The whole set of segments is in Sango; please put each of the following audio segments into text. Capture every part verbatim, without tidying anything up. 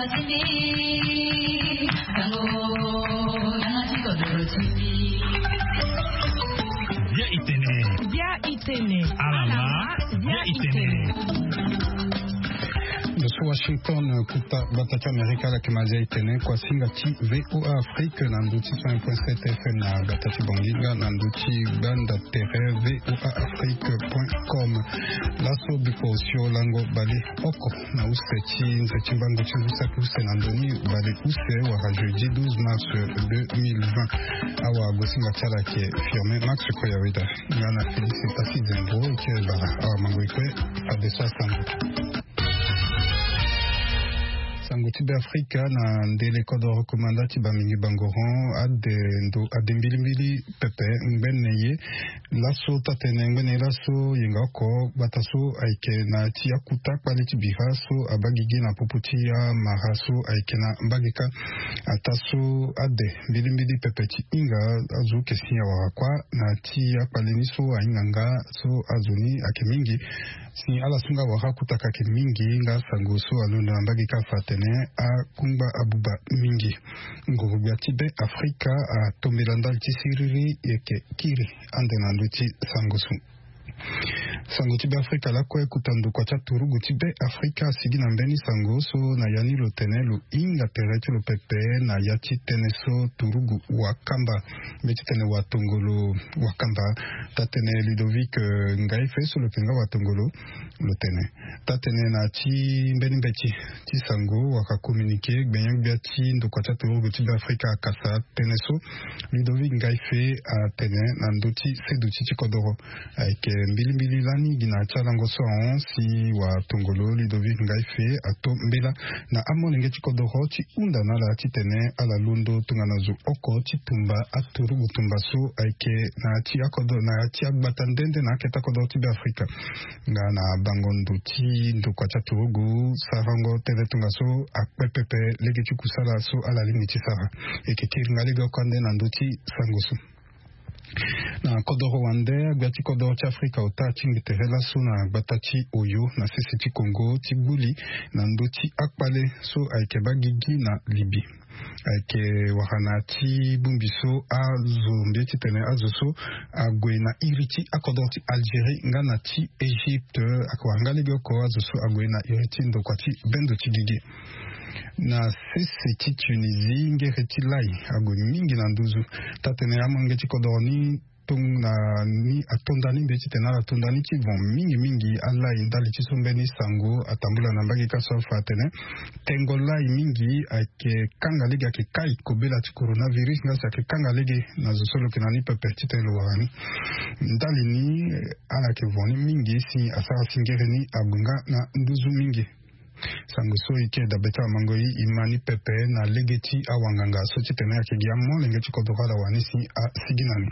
Bia itene. Bia itene. Alama. Bia itene. Ndoso Washington, kuta gbata ti Amerika, ala yeke ma zia itene kuasinga ti VOA Afrique na ndö ti cent point sept F M na gbata ti Bongi nga na ndö ti gbanda tere VOA Afrique point com. Laso biko osio lango bale oko na use ti nze ti mbango ti ngu saki use na ndö ni bale use wala jeudi douze mars deux mille vingt. Awa gosinga ti ala ayeke Firmin Max Koyaweda nga na Félix Tasi Zembro ti Ezara. Awa mango e kue fadeso asango. Sango ti Beafrika na ndele kodoro komanda ti Bamingui Bangoron ade ndo ade mbilimbili pepe ngbene ye. Laso taa-tene ngbene ye laso yenga oko gbata so ayeke na ya ti akuta kpale ti bira so abaa gigi na popo ti amara so ayeke na mbage kâ. Ataa so ade mbilimbili pepe ti hinga azo yeke si awara kuâ na ya ti akpale ni so ahinga nga so azo ni ayeke mingi. Si ala so nga awara akutaka ayeke mingi nga sango so alondo na mbage kâ afa atene akungba abuba mingi. Nguru-gbia ti Beafrika atombela ndali ti siriri yeke kiri ande na ndö ti sango so. Sango ti Beafrika lakue kuta ndokua ti aturugu ti Beafrika asigi na mbeni sango so na ya ni lo tene lo hinga tere ti lo pepe na ya ti tënë so turugu wakamba, mbeti tene watongolo wakamba. Taa-tene Ludovic, eh, Ngaife so lo yeke nga watongolo lo tene. Taa-tene na ya ti mbeni mbeti ti sango wala communiqué, gbenya-gbia ti ndokua ti aturugu ti Beafrika akasa tënë so Ludovic Ngaife atene na ndö ti seduti ti kodoro. Ayeke mbilimbili lani gi na ya ti alango so ahon si watongolo Ludovic Ngaife ato mbela na amolenge ti kodoro ti hunda na ala titene ala londo tongana zo oko ti tumba aturugu tumba so ayeke na ya ti akodoro na ya ti agbata nde nde na akete akodoro ti Beafrika. Nga na bango ndo ti ndokua ti aturugu sarango tënë tongaso akpe pepe lege ti kusala so ala lingbi ti sara. E yeke kiri nga lege oko ande na ndö ti sango so. Na kodoro wande, agbia ti kodoro ti Afrika ota atingbi tere laso na gbata ti Oyo na sese ti Congo ti gbu li na ndö ti akpale so ayeke baa gigi na Libye. Ayeke wara na ya ti bongbi so azo mbi ye titene azo so ague na iri ti akodoro ti Algérie nga na ti Égypte. Ayeke wara nga lege oko azo so ague na iri ti ndokua ti bendo ti gigi. Na sese ti Tunisie, ngere ti lai ague mingi na nduzu. Taa-tene amolenge ti kodoro ni tongana ni atonda ni mbi ye titene ala tonda ni ti vent mingi mingi alai ndali ti so mbeni sango atambula na mbage kâ so afa atene tengo lai mingi ayeke kanga lege, ayeke kai kobela ti coronavirus nga si ayeke kanga lege na zo so lo yeke na ni pepe titene lo wara ni. Ndali ni, eh, ala yeke vent ni mingi si asara si ngere ni ague nga na nduzu mingi. Sango so e yeke dabe ti amango e, e ma ni pepe na lege ti awanganga so titene ayeke gi amolenge ti kodoro ala wani si asigi na ni.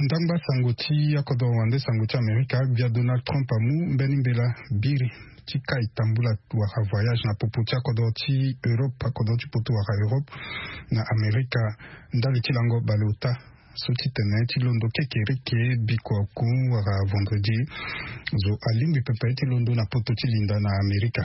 Ndangba sango ti akodoro wande, sango ti Amerika, gbia Donald Trump amu mbeni mbela biri ti kai tambula wala voyage na popo ti akodoro ti Europe, akodoro ti potu wala Europe na Amerika, ndali ti lango baleota so ti tene ti londo kekereke bikua oku wala vendredi. Zo alingbi pepe ti londo na popo ti linda na Amerika.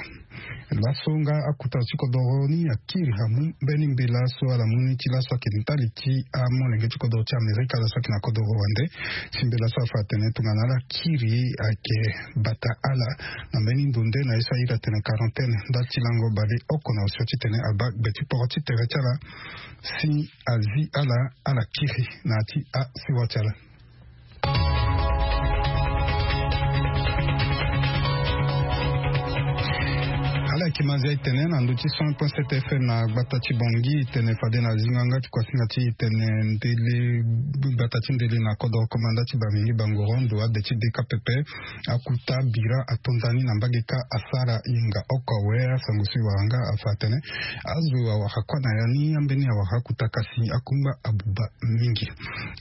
Laso nga akuta ti kodoro ni akiri amu mbeni mbela so ala mu ni ti laso ayeke ndali ti amolenge ti kodoro ti Amerika laso ayeke na kodoro wande. Ti mbela so afa atene tongana ala kiri ayeke bata ala na mbeni ndo nde na ye so airi atene quarantaine ndali ti lango baleoko na osio titene abaa gbe ti poro ti tere ti ala si azi ala, ala kiri na ya ti asewa ti ala. Ala yeke ma zia e tene na ndö ti cent point sept F M na gbata ti Bangui, e tene fade na zingo yanga ti kuasinga ti e tene ndele, gbata ti ndele na kodoro komanda ti Bamingui Bangoron, ndo ade ti D K P P. Akuta bira atonda ni na mbage kâ asara yenga oko awe. Asango so e wara nga afa atene azo awara kuâ na ya ni ambeni awara akuta kasi akungba abuba mingi.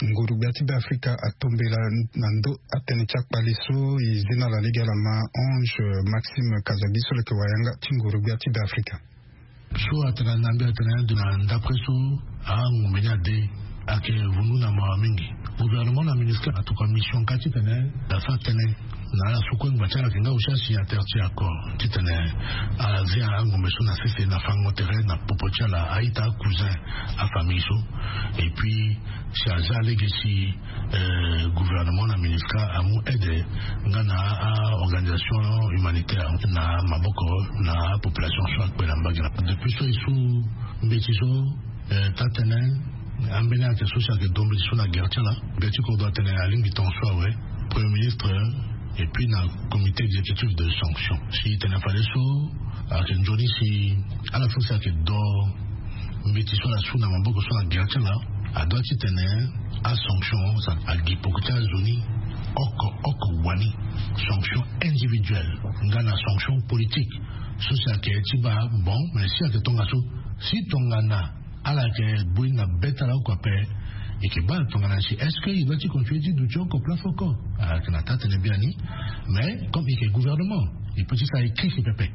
Nguru-gbia ti Beafrika atombela na ndö atënë ti akpale so e zi na ala lege ala ma Ange Maxime Kazabi so lo yeke wara yanga ti nguru-gbia ti Beafrika. So atene na mbi atene ndo na ndapre so angombe ni ade ayeke vundu na mawa mingi. Gouvernement na ministère atokua mission kâ titene asara tënë Na ala so kue ngba ti ala ayeke nga aussi asignateur ti accord titene ala zia angombe so na sese na fango tere na popo ti ala, a-ita, cousin, afamille so. Et puis si aza lege si gouvernement na ministra amu aide nga na a-organisation humanitaire na maboko na apopulation so akpe na mbage na depuis so e su mbeti so. Taa tene ambeni ayeke so si ayeke do mbeti so na gere ti ala. Gere ti kodro atene alingbi tonga so awe, premier ministre, et puis na comité exécutif de sanction si tene fade so ayeke nzoni si ala so si ayeke do mbeti so ala su na maboko so na gere ti ala adua titene asanction agi poko ti azo ni oko oko wani. Sanction individuelle nga na sanction politique so si ayeke ti baa bon mais si ayeke tongaso si tongana ala yeke bui na be ti ala oko ape. Eke baa tongana si est-ce que e dua ti continue ti duti oko place oko? Ayeke na taa tene biani. Mais comme eke gouvernement, e peut ti sara e kriki pepe.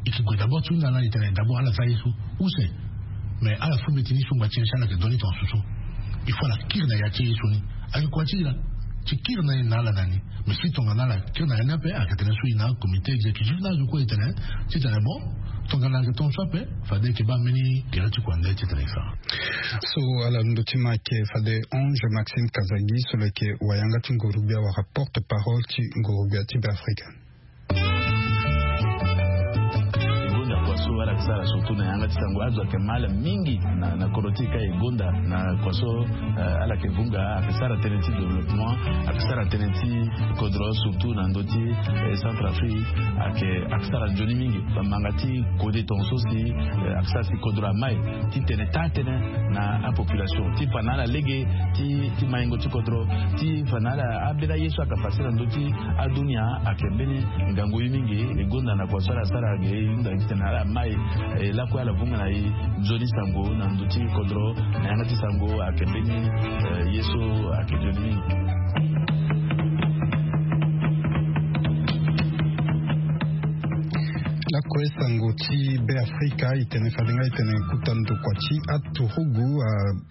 Eke gue d'abord ti hunda na e tene d'abord ala za ye so use. Mais ala so mbeti ni so ngba ti en si ala yeke doni tonga susu. Il faut ala kiri na ya ti ye so ni. Ayeke kua ti e laa ti kiri na e na ala na ni. Mais si tongana ala kiri na ya ni ape ayeke tene so e na comité exécutif na azo kue e tene titene bon, tongana ayeke tonga so ape fade eke baa mbeni gere ti kua nde titene e sara. So ala ndo ti ma ayeke fade Ange Maxime Kazagi so lo yeke wayanga ti nguru-gbia wala porte parole ti nguru-gbia ti Beafrika. E gonda kua so ala yeke sara surtout na yanga ti sango azo ayeke mal mingi na kodro ti e ka e gonda na kua so ala yeke vunga ayeke sara tënë ti développement, ayeke sara tënë ti kodro surtout na ndö ti Centrafrique. Ayeke ayeke sara nzoni mingi bamanga ti kode tonga so si ayeke sara si kodro amai titene taa tënë na apopulation ti fa na ala lege ti maingo ti kodro ti fa na ala ambeni aye so ayeke fasi na ndö ti adunia. Ayeke mbeni ngangu ye mingi e gonda na kua so ala sara ge e hunda titene ala mai lakue ala vunga na e nzoni sango na ndö ti kodro na yanga ti sango ayeke mbeni ye so ayeke nzoni mingi. Lakue sango ti Beafrika e tene fade nga e tene kuta ndokua ti aturugu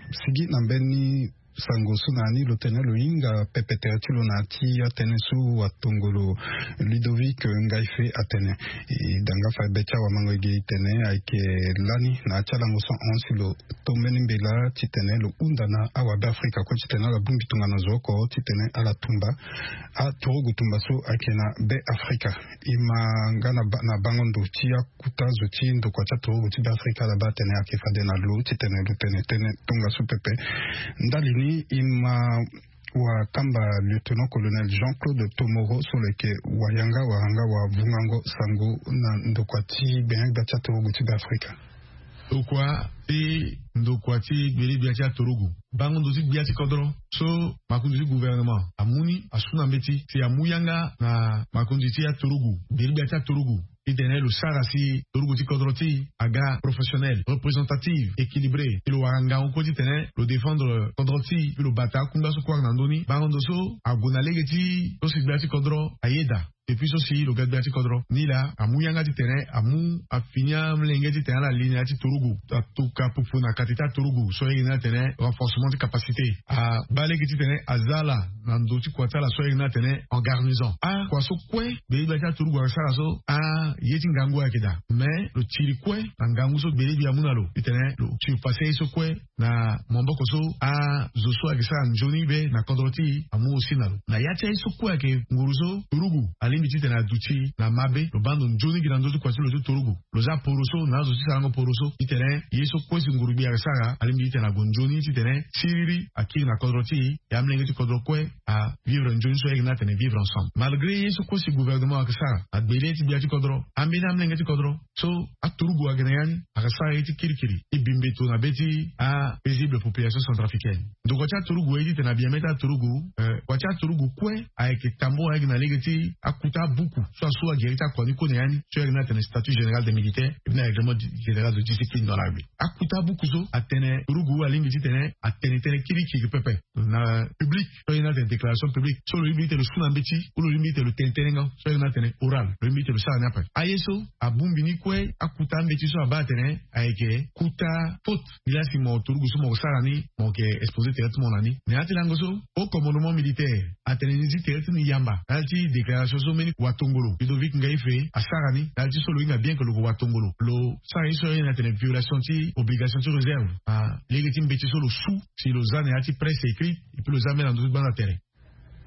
asigi na mbeni sango so na ni lo tene lo hinga pepe tere ti lo na ya ti atënë so watongolo Ludovic Ngaife atene. E da nga fa be ti awamango ege e tene ayeke lani na ya ti alango so ahon si lo to mbeni mbela titene lo hunda na awabeafrika kue titene ala bongbi tongana zo oko titene ala tumba aturugu tumba so ayeke na Beafrika. E ma nga na bango ndo ti akuta zo ti ndokua ti aturugu ti Beafrika ala baa atene ayeke fade na lo titene lo tene tënë tongaso pepe. Ndali ni e ma wakamba lieutenant colonel Jean-Claude Tomoro so lo yeke wayanga wala nga wavungango sango na ndokua ti gbenyo-gbia ti aturugu ti Beafrika. Ndokua ti ndokua ti gbele-gbia ti aturugu bango ndo ti gbia ti kodro so makonzi ti gouvernement amu ni asu na mbeti si amu yanga na makonzi ti aturugu gbele-gbia ti aturugu titene lo sara si turugu ti kodro ti e aga professionnel, représentative, équilibré. Ti lo wara ngangu kue titene lo défendre kodro ti e ti lo bata akungba so kue ayeke na ndö ni bango ndo so ague na lege ti so si gbia ti kodro ayeda. Depuis so si lo ga gbia ti kodro ni laa amu yanga titene amu afini amolenge titene ala li na ya ti turugu atuka pupu na kati ti aturugu so ayeke ni atene renforcement ti capacité. Abaa lege titene aza ala na ndo ti kua ti ala so ayeke ni atene en garnison akua so kue gbele-gbia ti aturugu ayeke sara so aye ti ngangu ayeke daa. Mais lo tiri kue na ngangu so gbele-gbia amu na lo titene lo surpasse aye so kue na maboko so azo so ayeke sara nzoni be na kodro ti e amu aussi na lo na ya ti aye so kue ayeke nguru so turugu alingbi titene aduti na mabe lo baa ndo nzoni gi na ndö ti kua ti lo ti turugu. Lo za poroso na azo ti sarango poroso titene ye so kue si nguru-gbia ayeke sara alingbi titene ague nzoni titene siriri akiri na kodro ti e. E amolenge ti kodro kue avivre nzoni so ayeke ni atene vivre ensemble malgré ye so kue si gouvernement ayeke sara agbe le ti gbia ti kodro ambeni amolenge ti kodro so aturugu ayeke na ya ni ayeke sara ye ti kirikiri ti bi mbeto na be ti apaisible population centrafricaine. Ndokua ti aturugu aye titene abia mê ti aturugu kua ti aturugu kue ayeke tambour ayeke na lege ti akuta abuku so asu agere ti akua ni kue na ya ni so ayeke ni atene statut général des militaires et puis na règlement général de discipline dans l'armée. Akuta abuku so atene turugu alingbi titene atene tënë kirikiri pepe na public so ayeke ni atene déclaration publique so lo lingbi titene lo su na mbeti ou lo lingbi titene lo tene tënë nga so ayeke ni atene oral lo lingbi titene lo sara ni ape. Aye so abongbi ni kue akuta ambeti so abaa atene ayeke kuta faute. Nilaa si mo turugu so mo sara ni mo yeke exposer tere ti mo na ni na ya ti lango so haut commandement militaire atene ni zi tere ti ni yamba na ya ti déclaration so Omeni watongolo Ludovic Ngaife asara ni na ya ti so lo hinga bien ke lo ko watongolo, lo sara ye so aye na tene violation ti obligation ti réserve. Ah, lege ti mbeti so lo su si lo za na ya ti presse écrit, et puis lo za mbeni na ndö ti gbanda tere.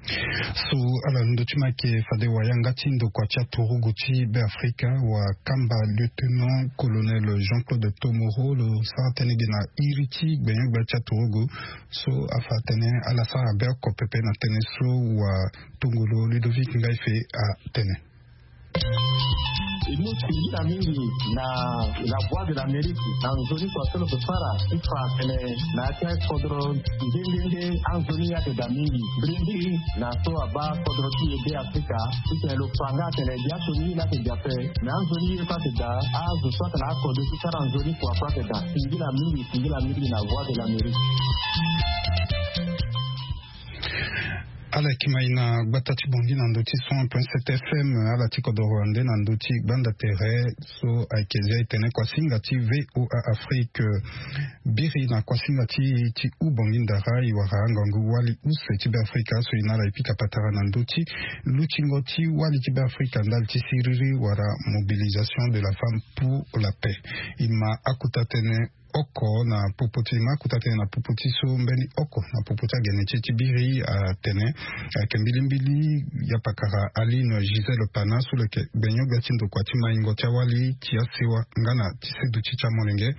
So ala ndö ti ma yeke fade wayanga ti ndokua ti aturugu ti Beafrika, wakamba lieutenant colonel Jean-Claude Tomoro lo sara tënë ge na iri ti gbenyo-gbia ti aturugu. So afa atene ala sara be oko pepe na tënë so watongolo Ludovic Ngaife atene. E mu singila mingi na la Voix de l'Amérique na nzoni kua so lo yeke sara ti fa tene na ya ti akodro nde nde nde anzoni ye ayeke daa mingi. Biri mingi na so abaa kodro ti e Beafrika ti tene lo fa nga atene biaso ni ye ni ayeke daa ape. Me anzoni ye so ayeke daa azo so ayeke na akodro ti sara nzoni kua so ayeke daa. Singila mingi, singila mingi na Voix de l'Amérique. Ala yeke mai na gbata ti Bangui na ndö ti cent point sept F M. Ala ti kodoro wande na ndö ti gbanda tere so ayeke zia e tene kuasinga ti V O A Afrique. Biri na kuasinga ti e ti hubangui ndara e wara ngangu wali use ti Beafrika so e na ala e pika patara na ndö ti lutingo ti wali ti Beafrika ndali ti siriri wala mobilisation de la femme pour la paix. E ma akuta tënë oko na popo ti, e ma akuta tënë na popo ti so mbeni oko na popo ti agene ti e ti biri atene ayeke mbilimbili ya pakara Aline Gisèle Pana so lo yeke gbenyo-gbia ti ndokua ti maingo ti awali ti asewa nga na ti seduti ti amolenge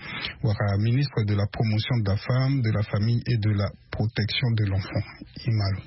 wala ministre de la promotion de la femme, de la famille et de la protection de l'enfant. E ma lo.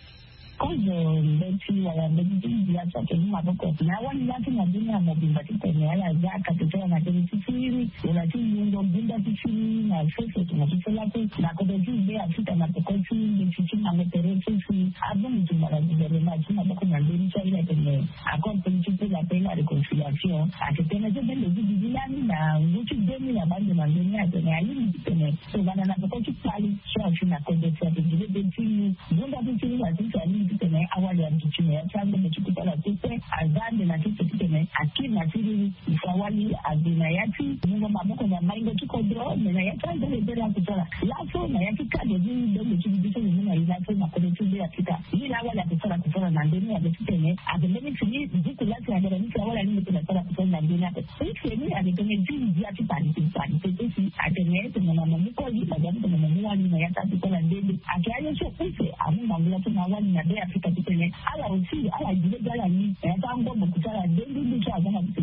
Kozo mbeti wala mbeti ti ndia so ayeke mu maboko na awali laa ti na dunia mobimba titene ala za akate ti ala na tënë ti siriri wala ti yungo gunda ti siriri na sese tongana ti so laso na kodro ti Beafrika na peko ti mbeti ti mango tere so si abongbi tumba na guvernema ti maboko na ndoni ti ala tene accord politique pour la paix et la réconciliation. Ayeke tënë so bendo ti duti lani na ngu ti deux mille abaa ndo na ndoni atene alingbi titene tongana na peko ti kpale so asi na kodro si ayeke gi lebe ti mu gunda ti siriri asi si alingbi titene awali aduti na ya ti angombe ti kusala so kue aza ande na sese titene akiri na siriri. Use awali ague na ya ti mungo maboko na maingo ti kodro me na ya ti angombe bere akusala laso na ya ti cadre ti bendo ti duti so lo mu na e laso na kodro ti Beafrika. Ye laa awali akusala kusala na ndoni ayeke titene ayeke mbeni fini buku laa si ayeke na ni si awali alingbi titene asara kusala na ndoni ape. Use ni ayeke tënë ti ndia ti parité parité so si atene tongana mo mu kozo mo za titene mo mu wali na ya ti akusala nde nde. Ayeke aye so use amu ngangu laso na awali na Beafrika titene ala aussi ala gi lege ala ni na ya ti angombo kusala nde nde nde so aza na ti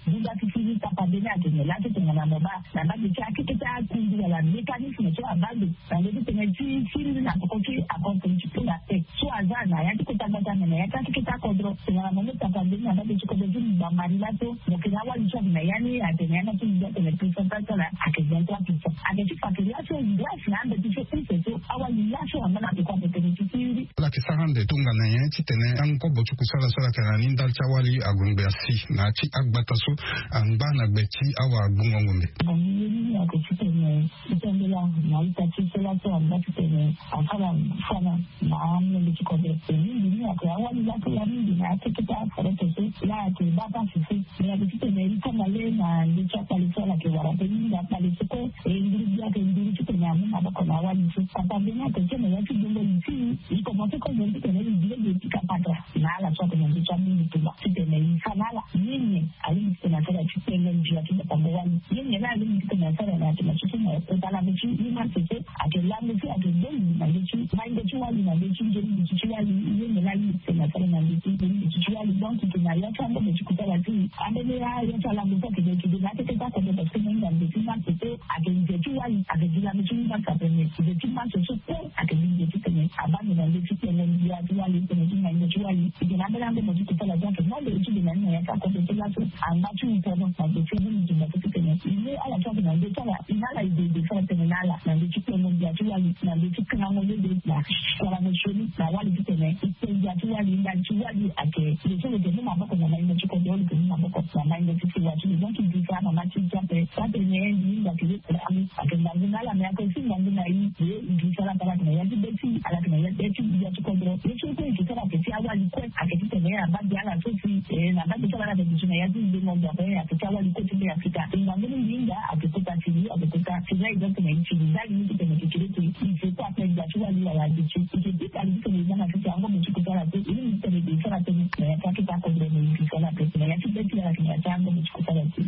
gunda ti siriri kapa mbeni atene laso tongana mo baa na mbage ti akeke ti akundu wala mécanisme so abaa ndo na ndö ti tënë ti siriri na peko ti accord politique pour la paix so aza na ya ti kota gbata me na ya ti akeke ti akodro tongana mo mu tapa mbeni na mbage ti kodro ti bambari laso mo yeke na awali so ayeke na ya ni atene ya ni ati ndia atene pourcentage so ala ayeke vingt-trois pour cent. Ayeke ti fa ake laso grâce na ambeti so use so awali laso angba na peko ape tene ti siriri. Ala yeke sara ande tongana nyen titene angobo ti kusala so ala yeke na ni ndali ti awali ague ngbe asi na ya ti agbata so angba na gbe ti awagbongo ngombe. Bon, ye ni ayeke titene e sambela na ita ti so laso angba titene asara fana na amolenge ti kodro. E mingi ni ayeke awali laso ya mingi na akeke ti aforete so la ayeke baa pasi so. Me ayeke titene e kanga le na ndö ti akpale so ala yeke wara pe mingi akpale so kue. E nduru gbia ayeke nduru titene amu maboko na awali so. Papa mbeni ayeke tene ya ti gbongo li ti e, e komanse kozo titene e gi lege e pika patara na ala so ayeke na ndö ti amundu tumba titene e fa na ala nyen nyen alingbi titene asara ti kpengo ndia ti batango wali. Nyen nyen la alingbi titene asara na yatene so so na kota lango ti ye marche so ayeke lango so ayeke bongbi na ndö ti maingo ti wali na ndö ti nzoni duti ti wali. Nyen nyen la alingbi titene asara na ndö ti nzoni duti ti wali. Donc e yeke na ya ti angombo ti kusala ti e ambeni ya ya ti alango so ayeke na eke ge na akeke ti akobe parce que na hinga nze ti marche so ayeke nze ti wali ayeke gi lango ti ye marche ape me nze ti marche so kue ayeke gi nze titene abaa ndo na ndö ti kpengo ndia ti wali titene ti maingo ti wali. E yeke na ambeni angombo ti kusala so ayeke mo ndo ti de na ni na ya ti akobe so laso angba ti upono na gbe ti amundu tumba so titene e mu ala so ayeke na ndö ti ala e na ala e de e de so ala tene na ala na ndö ti kpengo ndia ti wali na ndö ti kangango lege na kualango sioni na wali titene e kpe ndia ti wali ndali ti wali ayeke lo so lo yeke mu maboko na maingo ti kodro lo yeke mu maboko na maingo ti sewa ti lo. Donc e gi fa mama ti e ti ape so atene e ndi hinga ake ye kulamu ayeke ngangu na ala me ayeke aussi ngangu na e. Ye e gi fa la bala tene ya ti be ti ala tene ya be ti ndia ti kodro ye so kue e gi fa la ayeke ti awali kue. Ayeke titene abaa gi ala so si na baa gi so ala na tene duti na ya ti ndengo nzapa ayeke ti awali kue ti be afrika. Ngangu mingi hinga ayeke kota ti li ayeke kota ti la exemple na ye ti li ndali ni titene ayeke kiri ti il faut kue ape gbia ti wali wala duti ayeke ti kali titene e za na tete ango mo ti kosala te. E ni titene e sara tënë na ya ti akete akodro mo yeke sala ape na ya ti be ti ala ayeke na ya ti ango mo ti kosala te.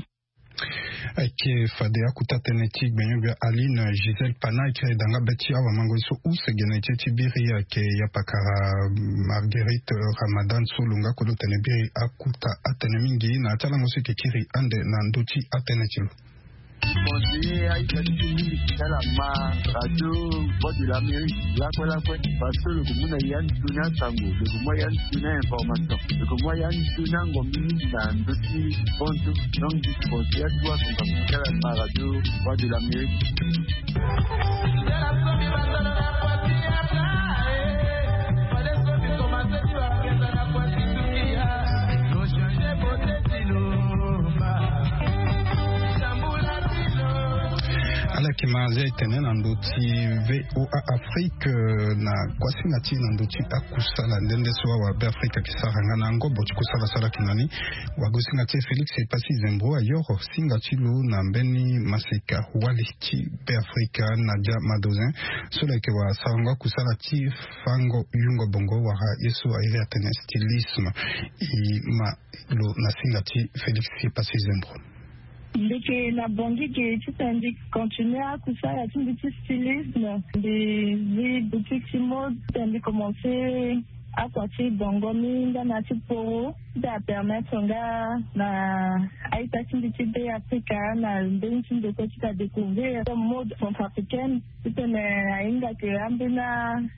Ayeke fade akuta tënë ti gbenyo-gbia Aline Gisèle Pana ayeke danga be ti awamango ye so use gene ti ti biri ayeke ya pakara Marguerite Ramadan so lo nga kue lo tene biri akuta atënë mingi na ya ti alango so e yeke kiri ande na ndö ti atënë ti lo. Conseiller aita ti mingi ti ala ma radio Voix de l'Amérique lakue lakue parce que lo ke mu na ya ni toni asango lo ke mu ya ni toni information lo ke mu ya ni toni ango mingi na ndö ti bonzo. Donc dispensaire ti waso nga ti ala ma radio Voix de l'Amérique. Ala yeke ma azia e tene na ndö ti VOA Afrique na kuasinga ti e na ndö ti akusala nde nde so awabe afrika ayeke sara nga na ngobo ti kusala so ala yeke na ni. Wagosinga ti e Félix Epassi Zembro ayoro singa ti lo na mbeni maseka wali ti be afrika Nadia Madozin so lo yeke wara sarango akusala ti fango yungo bongo wala ye so a iri atene stylisme. E ma lo na singa ti Félix Epassi Zembro. Mbi yeke na bongi ge titene mbi continue akusala ti mbi ti stylisme. Mbi zi boutique ti mode titene mbi commence akua ti bongo ni nga na ti poro ti apermettre nga na a-ita ti mbi ti be afrika na mbeni ti ndeko ti ka découvrir mode centrafricaine. Titene ahinga ke ambeni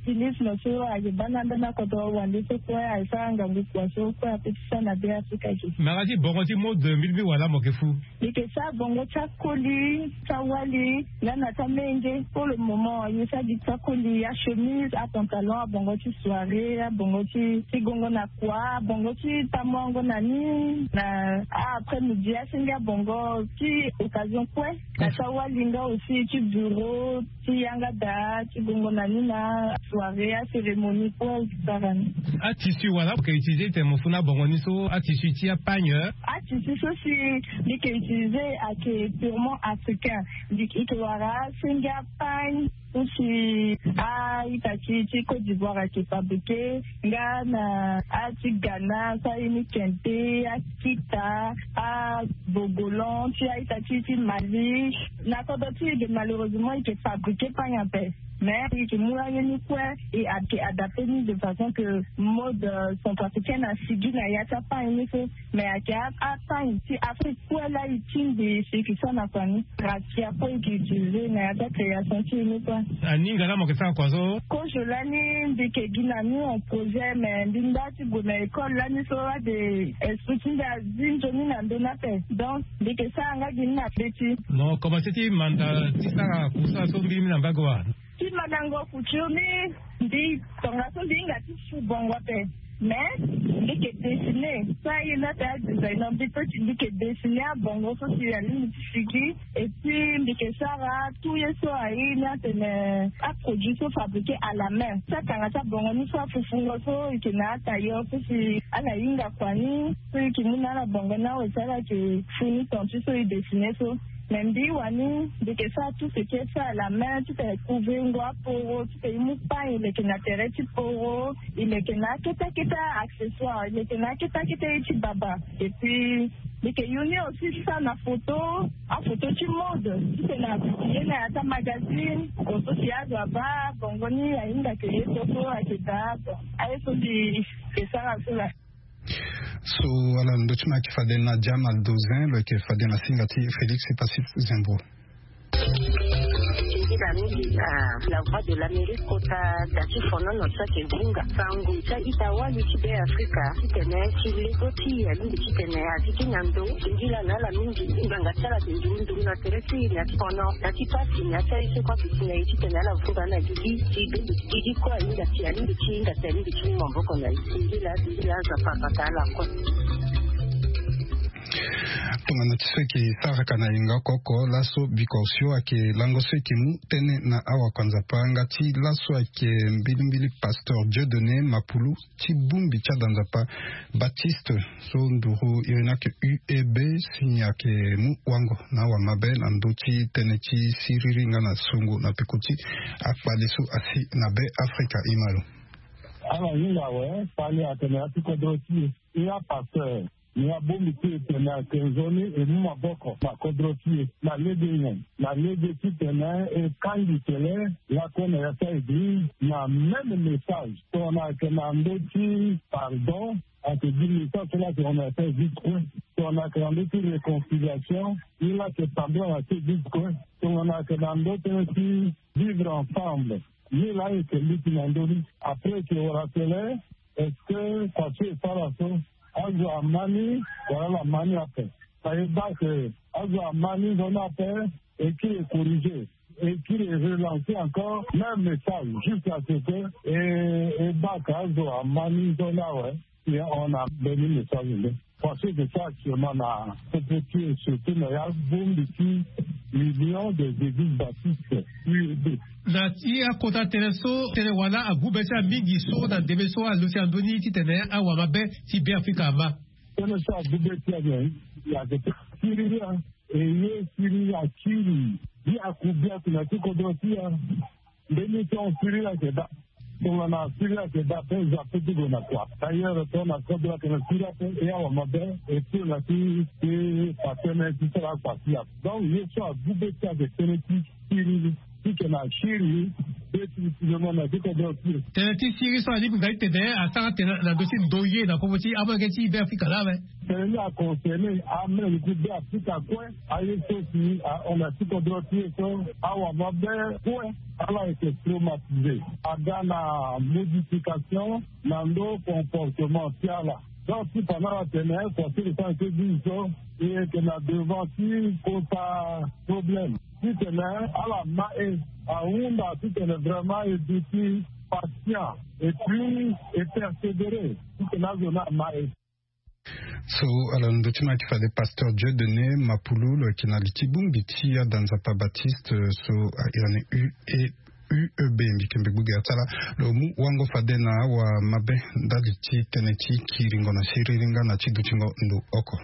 stylisme so ayeke baa na ambeni akodro wande so kue asara ngangu kua so kue ape ti sara na be afrika ge. Mara ti bongo ti mode mbi mbi wala mo yeke fu. Mbi yeke sara bongo ti akoli ti awali nga na ti amenge. Pour le moment ye sara gi ti akoli achemise apantalon abongo ti soirée abongo ti ti gongo na kua abongo ti tamuango na ni na a après midi asenge abongo ti occasion kue. Na ti awali nga aussi ti bureau ti yanga daa ti gongo na ni na soirée acérémonie kue. Sara ni. Atissu wala mo yeke utiliser titene mo fu na abongo ni so atissu ti apagne. Atissu so si mbi yeke utiliser ayeke purement africain. Mbi yeke wara asenge apagne so si a-ita ti ti côte d'ivoire ayeke fabriquer nga na a ti ghana so aye ni kente akita abogolan ti a-ita ti ti mali. Na kodro ti e ge malheureusement e yeke fabriquer pagne ape. Mais e yeke mu aye ni kue e ayeke adapter ni de façon que mode centrafricaine asigi na ya ti apagne ni so. Mais ayeke apagne ti afrique kue laa e tingbi si e yeke sara na kua ni. Rakia kue e yeke utiliser na ya ti acréation ti e ni kue. Aninga laa mo yeke sara kua so. Kozo lani mbi yeke gi na ni en projet mais mbi nda ti gue na école lani so ade esprit ti mbi azi nzoni na ndö ni ape. Donc mbi yeke sara nga gi ni na be ti. Mo commencer ti manda ti sara kusala so mbi mbi na mbage wa. Ti mandango couture ni mbi tongaso mbi hinga ti fu bongo ape. Mais mbi yeke dessiner so aye ni ate adesigner mbi pe ti mbi yeke dessiner abongo so si alingbi ti sigi. Et puis mbi yeke sara tout ye so aye ni atene aproduit so fabriquer à la main so atanga ti abongo ni so afufungo so e yeke na atailleur so si ala hinga kua ni so e yeke mu na ala bongo ni awe si ala yeke fu ni ton ti so e dessiner so. Mais mbi wani mbi yeke sara tout ce qui est fait à la main titene e couvrir ngo aporo titene e mu pagne e leke na tere ti poro e leke na akete akete accessoire e leke na akete akete ye ti baba. Et puis mbi yeke yu ni aussi ti sara na photo afoto ti mode titene a publier na ya ti amagazine. Photo si azo abaa bongo ni ahinga ke ye so so ayeke daa. Bon aye so mbi yeke sara so laa. So ala na ndö ti ma ayeke fade na diama dozin lo yeke fade na singa ti félix epassis zembro. Ti nzila mingi na la voix de l'amérique kota da ti fonono so ayeke hunga sango ti a-ita wali ti be afrika titene ti lego ti e alingbi titene azi ti na ndo. Ti nzila na ala mingi nganga ti ala ti nduru nduru na tere ti e na ti fono na ti pasi na ti aye so kue ape ti na e titene ala vunga na gigi ti be. Gigi kue ahinga ti alingi ti hinga ti alingi ti mu maboko na e ti nzila ti nzila aza papa ta ala kue. Tongana ti so eke saraka na yenga oko oko laso bikosio ayeke lango so eke mu tënë na awakuanzapa nga ti laso ayeke mbilimbili pasteur Dieudonné Mapulu ti bongbi ti adanzapa Baptiste so nduru iri ni ayeke U E B si ni ayeke mu wango na awamabe na ndö ti tënë ti siriri nga na songo na peko ti akpale so asi na be Afrika. Imalo. Ala hinga awe fani atene ya ti kodro ti e. E apasteur. Ni abongbi ti e tene ayeke nzoni e mu maboko na kodro ti e na lege nyen? Na lege titene e kangi tele lakue na ya ti aeglize na même message tongana ayeke na ndö ti pardon. Ayeke gi message so la tongana ayeke na ya ti aeglize kue. Tongana ayeke na ndö ti réconciliation ni la ayeke pardon na ya ti aeglize kue. Tongana ayeke na ndö tënë ti vivre ensemble ni la ayeke luti na ndö ni. Après eke wara tele est-ce que kua so e sara so azo ama ni wala ala ma ni ape? Fa e baa ke azo ama ni nzoni ape, e kiri e corriger, e kiri e relancer encore même message jusqu'à ce que e e baa ke azo ama ni nzoni awe. Si on a mbeni message nde. Parce que ça actuellement na popo ti e surtout na ya bongbi ti l'Union des Églises Baptistes, U E B. Na ti akota tënë so tënë wala agu be ti amingi so na ndembe so aluti na ndö ni titene awamabe ti Beafrika ama. Tënë so agu be ti aye ayeke tënë siriri. E ye siriri akiri biaku biaku na ti kodro ti e. Mbeni so siriri ayeke daa. Tongana siriri ayeke daa ape e zo ape ti gue na kua. D'ailleurs tongana kodro ayeke na siriri ape e awamabe e pio na ti e fa tënë ti sara akua ti e ape. Donc ye so agu be ti ayeke tënë ti siriri. Ti tene asiri be ti ti lo mo na ti kodro ti lo. Tene ti siri so alingbi nga ti tene asara tene na ndö ti ndoye na popo ti amolenge ti Beafrika laa awe. Tene ni aconcerné amolenge ti Beafrika kue. Aye so si ahon na ti kodro ti e so awamabe kue ala yeke traumatisé. Aga na modification na ndö comportement ti ala. Donc ti fa na ala tene kua ti lo so ayeke ti bizo so e yeke na devant ti kota problème. Titene ala ma e ahunda titene vraiment e duti patient et puis e persévérer titene azo ni ama e. So ala na ndö ti ma ayeke fade pasteur Dieudonné Mapulu lo yeke na li ti bongbi ti adanzapa Baptiste so a iri ni U E U E B mbi yeke mbi gbu ge atala lo mu wango fade na awamabe ndali ti tënë ti kiringo na siriri nga na ti dutingo ndo oko.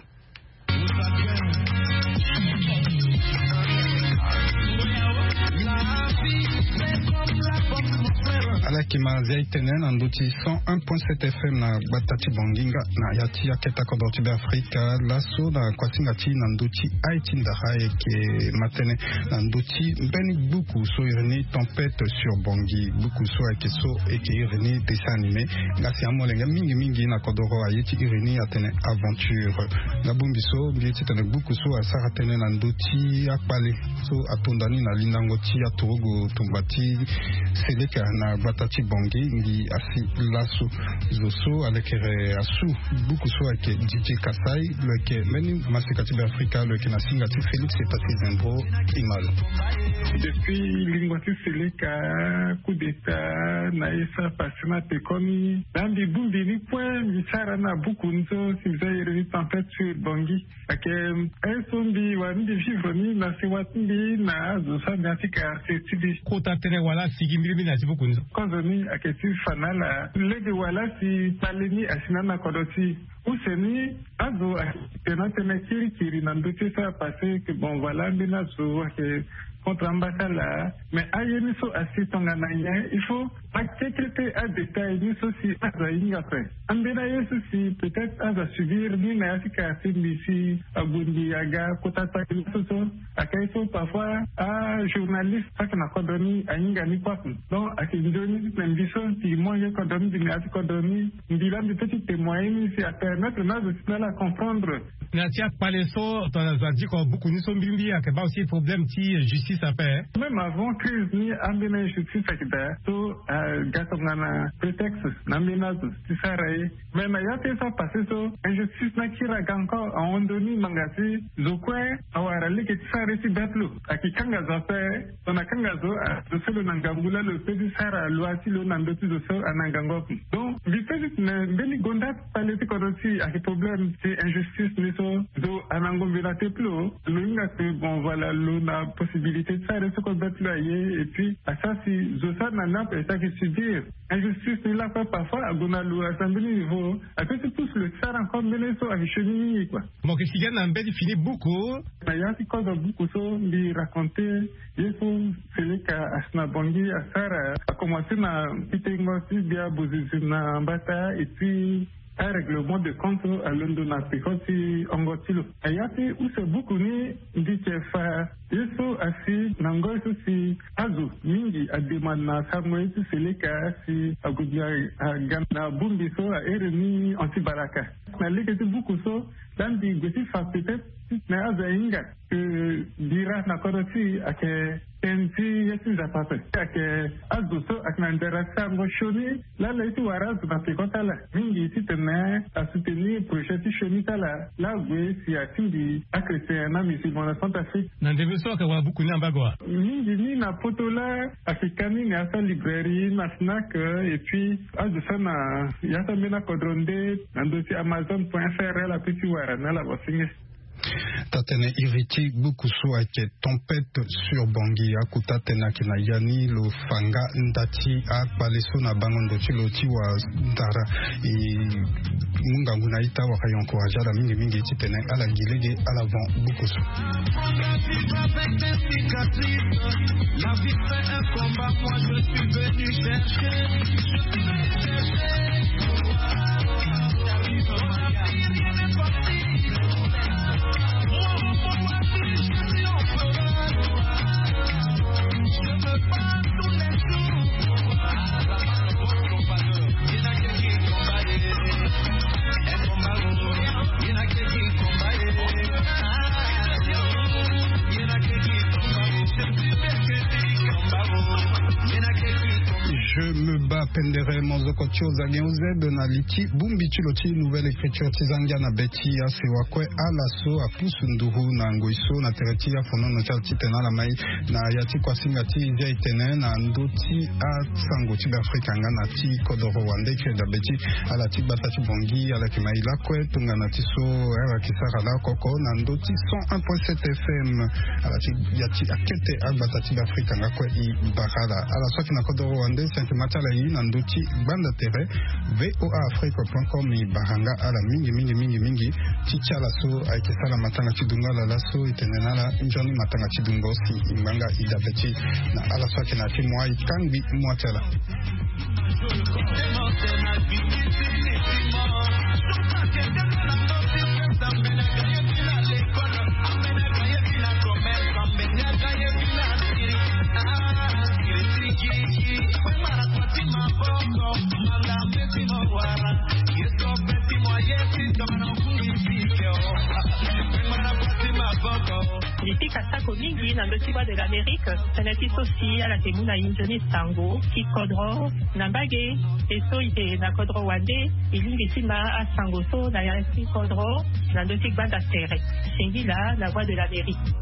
Ala yeke ma zia e tene na ndö ti cent un point sept F M na gbata ti Bangui nga na ya ti akete kodro ti Beafrika laso na kuasinga ti na ndö ti aye ti ndara ayeke ma tënë na ndö ti mbeni gbuku so iri ni Tempête sur Bangui. Gbuku so ayeke so eke iri ni dessin animé nga si amolenge mingi mingi na kodoro aye ti iri ni atene aventure. Nga bongbi so mbi ye titene gbuku so asara tënë na ndö ti akpale so atonda ni na lindango ti aturugu tumba ti Seleka na gbata ti Bangui ngi asi laso. Zo so alekere asu gbuku so ayeke D J Kasai lo yeke mbeni maseka ti Beafrika lo yeke na singa ti Félix Epati Zembro. Imalo. Depuis lingua ti Seleka, coup d'état na ye so apasse na pekoni na mbi bongbi ni kue mbi sara na buku ni so si mbi za iri ni Tempête sur Bangui. Ayeke aye so mbi wara ni mbi vivre ni na sewa ti mbi na azo so ame ya ti quartier ti mbi. Kota tënë wala asigi mbirimbiri na ya ti buku ni so. Kozo ni ayeke ti fa na ala lege wala si kpale ni asi na ala na kodro ti e. Use ni azo ayeke na tënë kirikiri na ndö ti so apasse que bon voilà ambeni azo ayeke contre ambasala. Mais aye ni so asi tongana nyen il faut akekete adétail ni so si azo ahinga ape. Ambeni aye so si peut-être azo asubir ni na ya ti kara ti mbi si ague mbi aga kota kpale ni so so. Ayeke aye so parfois ajournaliste so ayeke na kodro ni ahinga ni kue ape. Donc ayeke nzoni titene mbi so mbi mu ye kodro ni mbi na ya ti kodro ni mbi laa mbi peut ti témoigner ni si apermettre na azo ti na ala comprendre. Na ya ti akpale so tongana zo adiko buku ni so mbirimbiri ayeke baa aussi problème ti justice. Même avant crise ni, ambeni injustice ayeke daa so aga tongana prétexte na ambeni azo ti sara ye. Mais na ya ti ye so apasse so, injustice ni akiri aga encore. Ahon ndo ni ngbanga si zo kue awara lege ti sara ye ti bête lo. Ayeke kanga zo ape. Tongana kanga zo, azo so lo na ngangu laa lo peut ti sara loi ti lo na ndö ti zo so ana ngangu ape. Donc mbi peut ti tene mbeni gonda ti pale ti kodro ti e ayeke problème ti injustice ni so. Zo ana ngombe na te plo. Lo hinga si bon, voilà, lo na possibilité ti sara ye so kue bête lo aye. Et puis asara si zo so ana ni ape e sara ke subir injustice ni lakue. Parfois ague na lo asi na mbeni niveau, ape ti pousse lo ti sara encore mbeni ye so ayeke sioni mingi kua. Mo yeke sigi na mbeni fini buku. Na ya ti kodro buku so mbi raconte ye so Seleka asi na Bangui asara, akomanse na pitengo ti gbia bozizi na mbata, et puis arèglement de compte so alondo na peko ti hongo ti lo. Na ya ti use buku ni mbi yeke fa ye so asi na ngoi so si azo mingi ademande na sango ye ti Seleka si ague gbia aga na bongbi so ahere ni anti-balaka. Na lege ti buku so, laa mbi gue ti fa peut-être titene azo ahinga ke bira na kodro ti e ayeke tënë ti ye ti Nzapa ape. Ayeke azo so ayeke na ndara sango sioni laa ala ye ti wara azo na peko ti ala mingi titene asoutenir projet ti sioni ti ala laa ague si atingbi achrétien na musulman na Centrafrique. Na ndembe so ayeke wara buku ni na mbago wa? Mingi ni na poto laa ayeke ka ni na ya ti alibrairie na snack, et puis azo so na ya ti ambeni akodro nde na ndö ti amazon point F R ala peut ti wara na ala basenge. Taa-tënë iri ti buku so ayeke Tempête sur Bangui. Akota tënë ayeke na ya ni, lo fa nga nda ti akpale so na bango ndo ti lo ti wa ndara. E mu ngangu na ita wala e encourage ala mingi mingi titene ala gi lege ala vent buku so. Je me bats, pendere mozoko ti ozange ozebe na li ti bongbi ti lo ti Nouvelle Écriture ti zangia na be ti asewa kue ala so apusu nduru na ngoi so na tere ti afonono ti ala titene ala mai na ya ti kuasinga ti zia etene na ndö ti asango ti Beafrika nga na ti kodoro wande ti dabe ti ala ti gbata ti Bangui. Ala yeke mai lakue tongana ti so ala yeke sara laoko oko na ndö ti cent un point sept F M. Ala ti ya ti akete agbata ti Beafrika nga kue e bara ala. Ala so ayeke na kodoro wande si ayeke ma ti ala e na ndö ti gbanda tere V O A Afrique point com, e bara nga ala mingi mingi mingi mingi. Ti ti ala so ayeke sara matanga ti dungo ala laso, e tene na ala nzoni matanga ti dungo si e ngbanga e dabe ti na ala so ayeke na ya ti moi e kangbi moi ti ala. Mbi pika sako mingi na ndö ti Voix de l'Amérique, tënë ti so si ala yeke mu na e nzoni sango ti kodro na mbage. E so e yeke na kodro wande, e lingbi ti ma asango so na ya ti kodro na ndö ti gbanda tere. Singila na Voix de l'Amérique.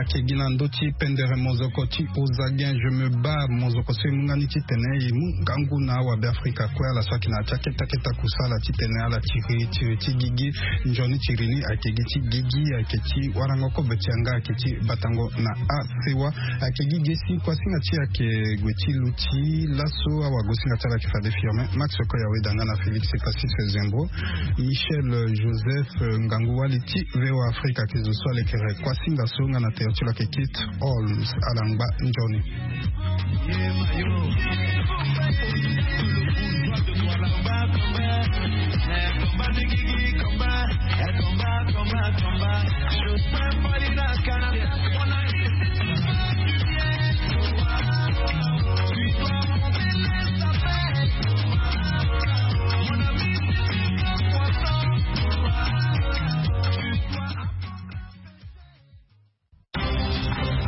Ake gi na ndö ti pendere mozoko ti Ozagen, je me baa mozoko so e mu nga ni titene e mu ngangu na awabe afrika kue ala so ayeke na ya ti akete akete akusala titene ala tiri tiri ti gigi. Nzoni tiri ni ayeke gi ti gigi, ayeke ti warango kobe ti yanga, ayeke ti batango na asewa. Ayeke gi ge si kuasinga ti e ayeke gue ti luti laso awagosinga ti ala ayeke fade firme. Max Okoya Weda nga na Félix Epasis Zembro, Michel Joseph, ngangu wali ti VOA Afrika ake zo so alekere kuasinga so nga na tere ti lo ake Kit Holmes. Ala ngba nzoni.